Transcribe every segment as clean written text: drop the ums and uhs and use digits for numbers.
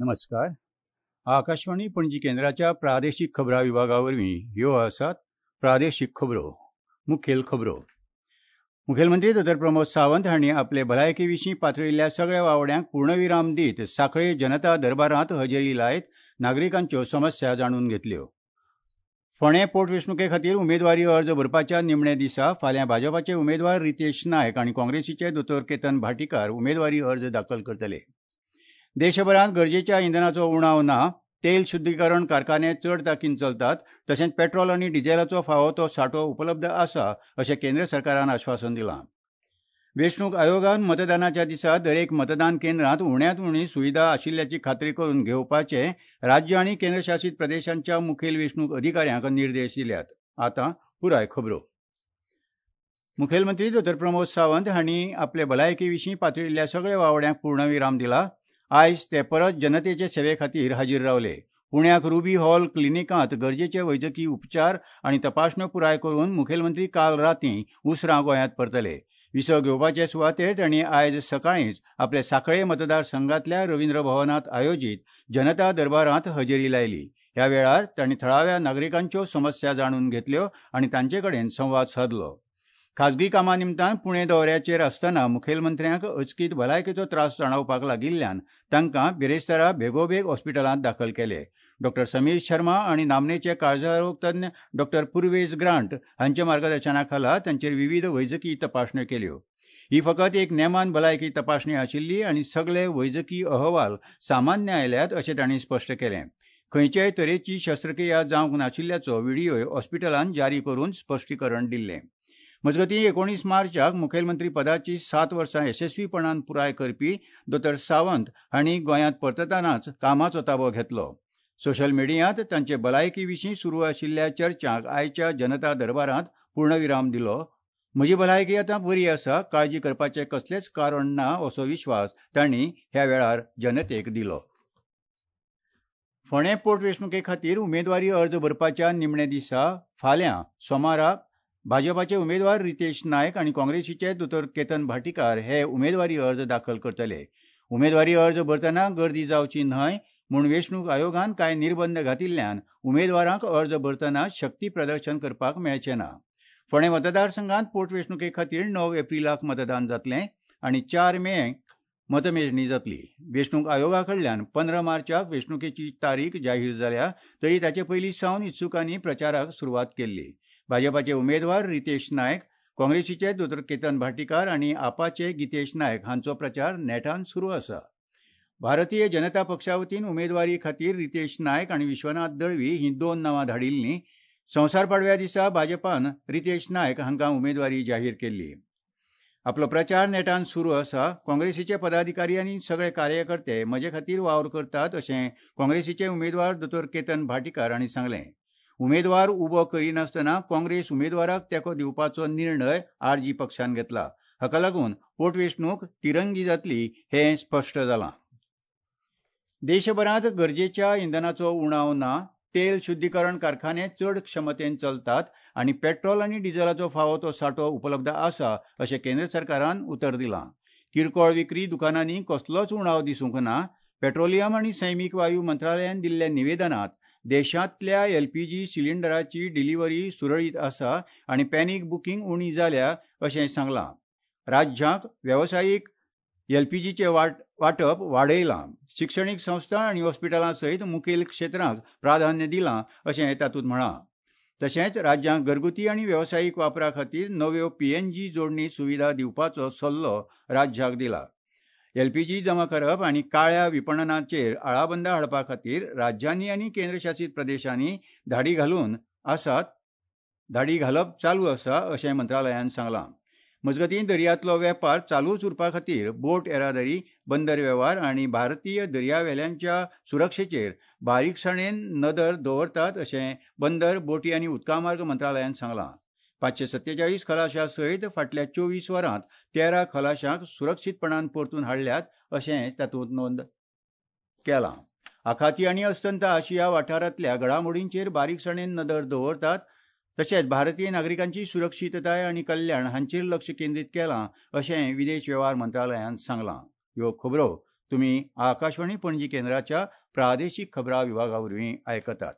नमस्कार. आकाशवाणी पणजी केंद्राच्या प्रादेशीक खबरां विभागा वरवीं ह्यो आसात प्रादेशीक खबरो. मुखेल खबरो. मुखेलमंत्री दोतोर प्रमोद सावंत हांणी आपले भलायके विशीं पातळिल्ल्या सगळ्या वावड्यांक पूर्णविराम दीत सांखळे जनता दरबारांत हजेरी लायत नागरिकांच्यो समस्या जाणून घेतल्यो. फोंडें पोटवेंचणुके खातीर उमेदवारी अर्ज भरपाच्या निमण्या दिसा फाल्यां भाजपाचे उमेदवार रितेश नायक आनी काँग्रेसीचे दोतोर केतन भाटीकार उमेदवारी अर्ज दाखल करतले. देशभरांत गरजेच्या इंधनाचो उणाव ना, तेल शुद्धीकरण कारखाने चड ताकीन चलतात, तशेंच पेट्रोल आनी डिझेलाचो फावो तो सांठो उपलब्ध आसा अशें केंद्र सरकारान आश्वासन दिलां. वेंचणूक आयोगान मतदानाच्या दिसा दरेक मतदान केंद्रांत उण्यांत उणी सुविधा आशिल्ल्याची खात्री करून घेवपाचे राज्य आनी केंद्रशासीत प्रदेशांच्या मुखेल वेंचणूक अधिकाऱ्यांक निर्देश दिल्यात. आतां पुराय खबरो. मुखेलमंत्री दोतोर प्रमोद सावंत हांणी आपले भलायके विशीं पातळिल्ल्या सगळ्या वावड्यांक पूर्णविराम दिला. आयज ते परत जनतेचे सेवे खातीर हाजीर रावले. पुण्याक रुबी हॉल क्लिनिकांत गरजेचे वैजकी उपचार आनी तपासण्यो पुराय करून मुखेलमंत्री काल रातीं उसरां गोंयांत परतले. विसव घेवपाचे सुवातेर तांणी आयज सकाळींच आपल्या सांखळे मतदारसंघांतल्या रवींद्र भवनांत आयोजीत जनता दरबारांत हजेरी लायली. ह्या वेळार तांणी थळाव्या नागरिकांच्यो समस्या जाणून घेतल्यो आनी तांचे कडेन संवाद सादलो. खाजगी कामा निमतान पुणे दौऱ्याचेर आसतना मुखेलमंत्र्यांक अचकीत भलायकेचो त्रास जाणवपाक लागिल्ल्यान तांकां बिरेस्तारा बेगोबेग हॉस्पिटलांत दाखल केले. डॉक्टर समीर शर्मा आनी नामनेचे काळजारोग तज्ञ डॉक्टर पुर्वेज ग्रांट हांच्या मार्गदर्शना खाला तांचेर विविध वैजकी तपासण्यो केल्यो. ही फकत एक नेमान भलायकी तपासणी आशिल्ली आनी सगळे वैजकी अहवाल सामान्य आयल्यात अशें तांणी स्पश्ट केलें. खंयचेय तरेची शस्त्रक्रिया जावंक नाशिल्ल्याचो व्हिडियोय हॉस्पिटलान जारी करून स्पश्टीकरण दिल्लें. मजगतीं 19 मार्चाक मुखेलमंत्री पदाची 7 वर्सां यशस्वीपणान पुराय करपी दोतोर सावंत हांणी गोंयांत परततानाच कामाचो ताबो घेतलो. सोशल मिडियांत तांचे भलायकी विशीं सुरू आशिल्ल्या चर्चांक आयच्या जनता दरबारांत पूर्णविराम दिलो. म्हजी भलायकी आतां बरी आसा, काळजी करपाचें कसलेंच कारण ना असो विश्वास तांणी ह्या वेळार जनतेक दिलो. फोंडें पोटवेंचणुके खातीर उमेदवारी अर्ज भरपाच्या निमण्या दिसा फाल्यां सोमाराक भाजपाचे उमेदवार रितेश नायक आनी काँग्रेसीचे दोतोर केतन भाटीकार हे उमेदवारी अर्ज दाखल करतले. उमेदवारी अर्ज भरतना गर्दी जावची न्हय म्हूण वेंचणूक आयोगान कांय निर्बंध घातिल्ल्यान उमेदवारांक अर्ज भरतना शक्ती प्रदर्शन करपाक मेळचें ना. फोंडें मतदारसंघांत पोटवेंचणुके खातीर 9 एप्रिलाक मतदान जातलें आनी 4 मेक मतमेजणी जातली. वेंचणूक आयोगा कडल्यान 15 मार्चाक वेंचणुकेची तारीख जाहीर जाल्या तरी ताचे पयलीं सावन इत्सुकांनी प्रचाराक सुरवात केल्ली. भाजपाचे उमेदवार रितेश नायक, काँग्रेसीचे दोतोर केतन भाटीकार आनी आपाचे गितेश नायक हांचो प्रचार नेटान सुरू आसा. भारतीय जनता पक्षा वतीन उमेदवारी खातीर रितेश नायक आनी विश्वनाथ दळवी हीं 2 नांवां धाडिल्लीं. संवसार पाडव्या दिसा भाजपान रितेश नायक हांकां उमेदवारी जाहीर केल्ली. आपलो प्रचार नेटान सुरू आसा. काँग्रेसीचे पदाधिकारी आनी सगळे कार्यकर्ते म्हजे खातीर वावर करतात अशें काँग्रेसीचे उमेदवार दोतोर केतन भाटीकार हांणी सांगलें. उमेदवार उबो करिनासतना काँग्रेस उमेदवाराक तेंको दिवपाचो निर्णय आरजी पक्षान घेतला. हाका लागून पोटवेंचणूक तिरंगी जातली हें स्पश्ट जालां. देशभरांत गरजेच्या इंधनाचो उणाव ना, तेल शुद्धीकरण कारखाने चड क्षमतेन चलतात आनी पेट्रोल आनी डिझेलाचो फावो तो सांठो उपलब्ध आसा अशें केंद्र सरकारान उतर दिलां. किरकोळ विक्री दुकानांनी कसलोच उणाव दिसूंक ना. पेट्रोलियम आनी सैमीक वायू मंत्रालयान दिल्ल्या निवेदनांत देशांतल्या एलपीजी सिलिंडराची डिलिव्हरी सुरळीत आसा आनी पॅनीक बुकींग उणी जाल्या अशें सांगलां. राज्यांक वेवसायीक एलपीजीचें वांटप वाडयलां. शिक्षणीक संस्था आनी हॉस्पिटलां सयत मुखेल क्षेत्रांक प्राधान्य दिलां अशें तातूंत म्हळां. तशेंच राज्यांक घरगुती आनी वेवसायीक वापरा खातीर नव्यो पीएनजी जोडणी सुविधा दिवपाचो सल्लो राज्याक दिला. एलपीजी जमा करप आनी काळ्या विपणनाचेर आळाबंदा हाडपा खातीर राज्यांनी आनी केंद्रशासीत प्रदेशांनी धाडी घालप चालू आसा अशें मंत्रालयान सांगलां. मजगतीं दर्यांतलो वेपार चालूच उरपा खातीर बोट येरादारी, बंदर वेव्हार आनी भारतीय दर्यावेल्यांच्या सुरक्षेचेर बारीकसाणेन नदर दवरतात अशें बंदर, बोटी आनी उदकामार्ग मंत्रालयान सांगलां. 547 खलाशां सयत फाटल्या 24 वरांत 13 खलाशांक सुरक्षीतपणान परतून हाडल्यात अशें तातूंत नोंद केलां. आखाती आनी अस्तंत आशिया वाठारांतल्या घडामोडींचेर बारीकसाणेन नदर दवरतात तशेंच भारतीय नागरिकांची सुरक्षीतताय आनी कल्याण हांचेर लक्ष केंद्रीत केलां अशें विदेश वेव्हार मंत्रालयान सांगलां. ह्यो खबरो तुमी आकाशवाणी पणजी केंद्राच्या प्रादेशीक खबरां विभागा वरवीं आयकतात.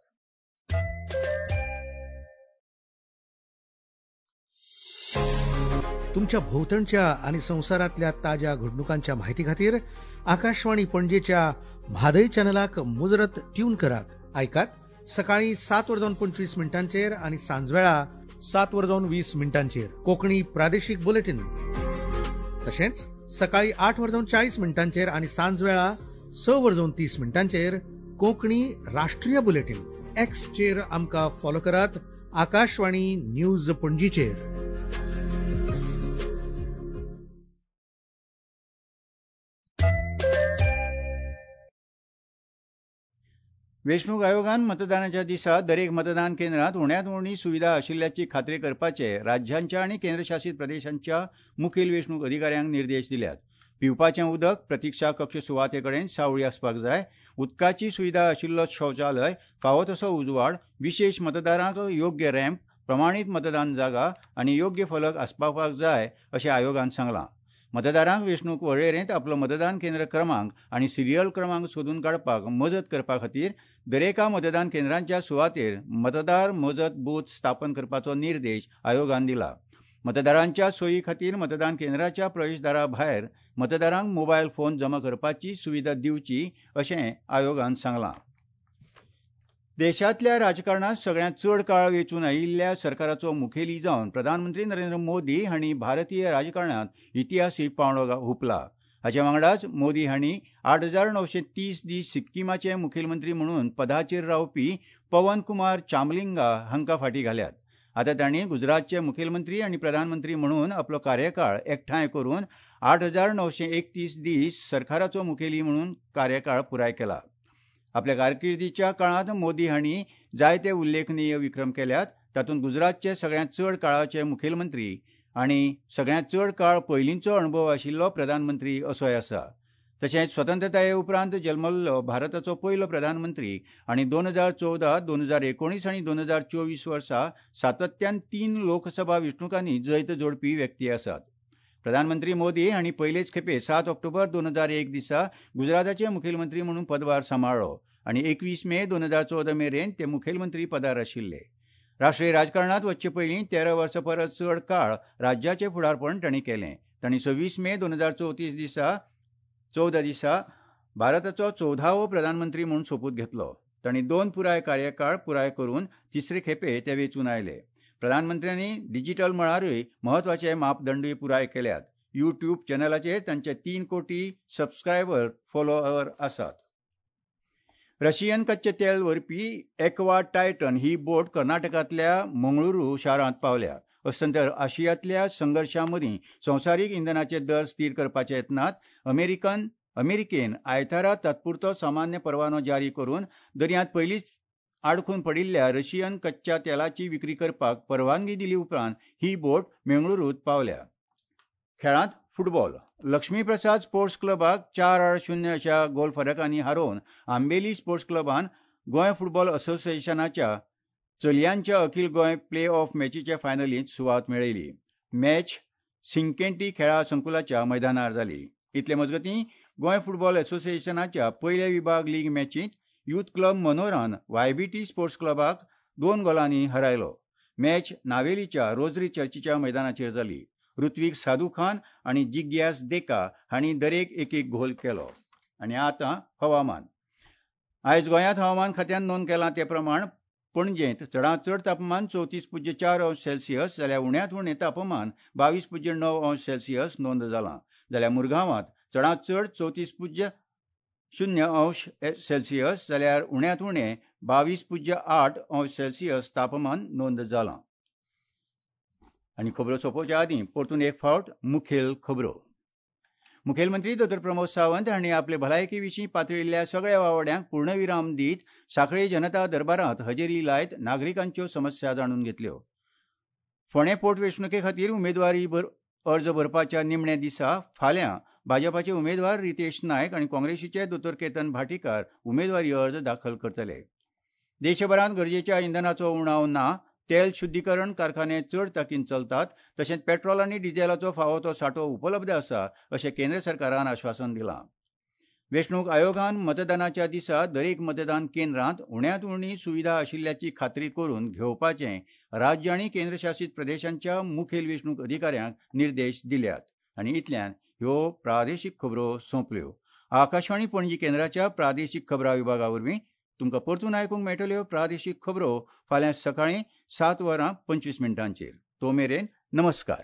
तुमच्या भोवतणच्या आनी संवसारांतल्या ताज्या घडणुकांच्या माहिती खातीर आकाशवाणी पणजेच्या म्हादय चॅनलाक मुजरत ट्यून करात. आयकात सकाळी 7:25 आनी सांजवेळा 7:20 कोंकणी प्रादेशीक बुलेटीन. तशेंच सकाळी 8:40 आनी सांजवेळा 6:30 कोंकणी राष्ट्रीय बुलेटीन. एक्सचेर आमकां फॉलो करात आकाशवाणी न्यूज पणजीचेर. वेंचणूक आयोगान मतदानाच्या दिसा दरेक मतदान केंद्रांत उण्यांत उणी सुविधा आशिल्ल्याची खात्री करपाचे राज्यांच्या आनी केंद्रशासीत प्रदेशांच्या मुखेल वेंचणूक अधिकाऱ्यांक निर्देश दिल्यात. पिवपाचें उदक प्रतिक्षा कक्ष सुवाते कडेन सावळी आसपाक जाय. उदकाची सुविधा आशिल्लो शौचालय, फावो तसो उजवाड, विशेष मतदारांक योग्य रॅम्प, प्रमाणीत मतदान जागा आनी योग्य फलक आसपावपाक जाय अशें आयोगान सांगलां. मतदारांक वेंचणूक वळेरेंत आपलो मतदान केंद्र क्रमांक आनी सिरियल क्रमांक सोदून काडपाक मजत करपा खातीर दरेका मतदान केंद्रांच्या सुवातेर मतदार मजत बूथ स्थापन करपाचो निर्देश आयोगान दिला. मतदारांच्या सोयी खातीर मतदान केंद्राच्या प्रवेशदारा भायर मतदारांक मोबायल फोन जमा करपाची सुविधा दिवची अशें आयोगान सांगलां. देशांतल्या राजकारणांत सगळ्यांत चड काळ वेंचून आयिल्ल्या सरकाराचो मुखेली जावन प्रधानमंत्री नरेंद्र मोदी हांणी भारतीय राजकारणांत इतिहासीक पांवडो हुपला. हाचे वांगडाच मोदी हांणी 8,930 दीस सिक्कीमाचे मुखेलमंत्री म्हणून पदाचेर रावपी पवन कुमार चामलिंगा हांकां फाटीं घाल्यात. आतां तांणी गुजरातचे मुखेलमंत्री आनी प्रधानमंत्री म्हणून आपलो कार्यकाळ एकठांय करून 8,931 दीस सरकाराचो मुखेली म्हणून कार्यकाळ पुराय केला. आपल्या कारकिर्दीच्या काळांत मोदी हांणी जायते उल्लेखनीय विक्रम केल्यात. तातूंत गुजरातचे सगळ्यांत चड काळाचे मुखेलमंत्री आनी सगळ्यांत चड काळ पयलींचो अणभव आशिल्लो प्रधानमंत्री असोय आसा. तशेंच स्वतंत्रताये उपरांत जल्मल्लो भारताचो पयलो प्रधानमंत्री आनी 2014, 2019 आनी 2024 वर्सा सातत्यान 3 लोकसभा वेंचणुकांनी जैत जोडपी व्यक्ती आसात. प्रधानमंत्री मोदी हांणी पयलेच खेपे 7 ऑक्टोबर 2001 दिसा गुजराताचे मुखेलमंत्री म्हणून पदभार सांबाळ्ळो आनी 21 मे 2014 मेरेन ते मुखेलमंत्री पदार आशिल्ले. राष्ट्रीय राजकारणांत वचचे पयलीं 13 वर्सां परस चड काळ राज्याचें फुडारपण तांणी केलें. तांणी 26 मे 2014 दिसा भारताचो 14वो प्रधानमंत्री म्हूण सोपूत घेतलो. तांणी 2 पुराय कार्यकाळ पुराय करून तिसरे खेपे ते वेंचून आयले. प्रधानमंत्र्यांनी डिजिटल मळारूय म्हत्वाचे मापदंडूय पुराय केल्यात. यूट्यूब चॅनलाचेर तांचे 3 कोटी सबस्क्रायबर फॉलोअर आसात. रशियन कच्चें तेल व्हरपी एक्वा टायटन ही बोट कर्नाटकांतल्या मंगळुरू शारांत पावल्या. अस्तंत आशियांतल्या संघर्शां मदीं संवसारीक इंधनाचे दर स्थीर करपाचे यत्नांत अमेरिकेन आयतारा तात्पुरतो सामान्य परवानो जारी करून दर्यांत पयलींच आडखून पडिल्ल्या रशियन कच्च्या तेलाची विक्री करपाक परवानगी दिली उपरांत ही बोट मंगळुरूंत पावल्या. खेळांत फुटबॉल. लक्ष्मीप्रसाद स्पोर्ट्स क्लबाक 4-0 अशा गोल फरकांनी हारोवन आंबेली स्पोर्ट्स क्लबान गोंय फुटबॉल असोसिएशनाच्या चलयांच्या अखिल गोंय प्ले ऑफ मॅचीचे फायनलींत सुवात मेळयली. मॅच सिंकेंटी खेळा संकुलाच्या मैदानार जाली. इतले मजगतीं गोंय फुटबॉल असोसिएशनाच्या पयल्या विभाग लीग मॅचींत युथ क्लब मनोरान वायबीटी स्पोर्ट्स क्लबाक 2 गोलांनी हरायलो. मॅच नावेलीच्या रोजरी चर्चीच्या मैदानाचेर जाली. ऋत्विक साधू खान आनी जिग्यास देका हांणी दरेक एक एक गोल केलो. आनी आतां हवामान. आयज गोंयांत हवामान खात्यान नोंद केलां ते प्रमाण पणजेंत चडांत चड तापमान 34.4 अंश सेल्सियस जाल्यार उण्यांत उणें तापमान 22.9 अंश सेल्सियस नोंद जालां. जाल्यार मुरगांवांत चडांत चड 34.0 अंश सेल्सियस जाल्यार उण्यांत उणें 22.8 अंश सेल्सियस तापमान नोंद जालां. आनी खबरो सोंपोवच्या आदीं परतून एक फावट मुखेल खबरो. मुखेलमंत्री दोतोर प्रमोद सावंत हांणी आपले भलायके विशीं पातळिल्ल्या सगळ्या वावड्यांक पूर्णविराम दीत सांखळी जनता दरबारांत हजेरी लायत नागरिकांच्यो समस्या जाणून घेतल्यो. फोंडें पोटवेंचणुके खातीर उमेदवारी अर्ज भरपाच्या निमण्या दिसा फाल्यां भाजपाचे उमेदवार रितेश नायक आनी काँग्रेसीचे दोतोर केतन भाटीकार उमेदवारी अर्ज दाखल करतले. देशभरांत गरजेच्या इंधनाचो उणाव ना, तेल शुद्धीकरण कारखाने चड ताकीन चलतात, तशेंच पेट्रोल आनी डिझेलाचो फावो तो सांठो उपलब्ध आसा अशें केंद्र सरकारान आश्वासन दिलां. वेंचणूक आयोगान मतदानाच्या दिसा दरेक मतदान केंद्रांत उण्यांत उणी सुविधा आशिल्ल्याची खात्री करून घेवपाचे राज्य आनी केंद्रशासीत प्रदेशांच्या मुखेल वेंचणूक अधिकाऱ्यांक निर्देश दिल्यात. आनी इतल्यान ह्यो प्रादेशीक खबरो सोंपल्यो. आकाशवाणी पणजी केंद्राच्या प्रादेशीक खबरां विभागा वरवीं तुमकां परतून आयकूंक मेळटल्यो प्रादेशीक खबरो फाल्यां सकाळीं 7:25. तो मेरेन नमस्कार.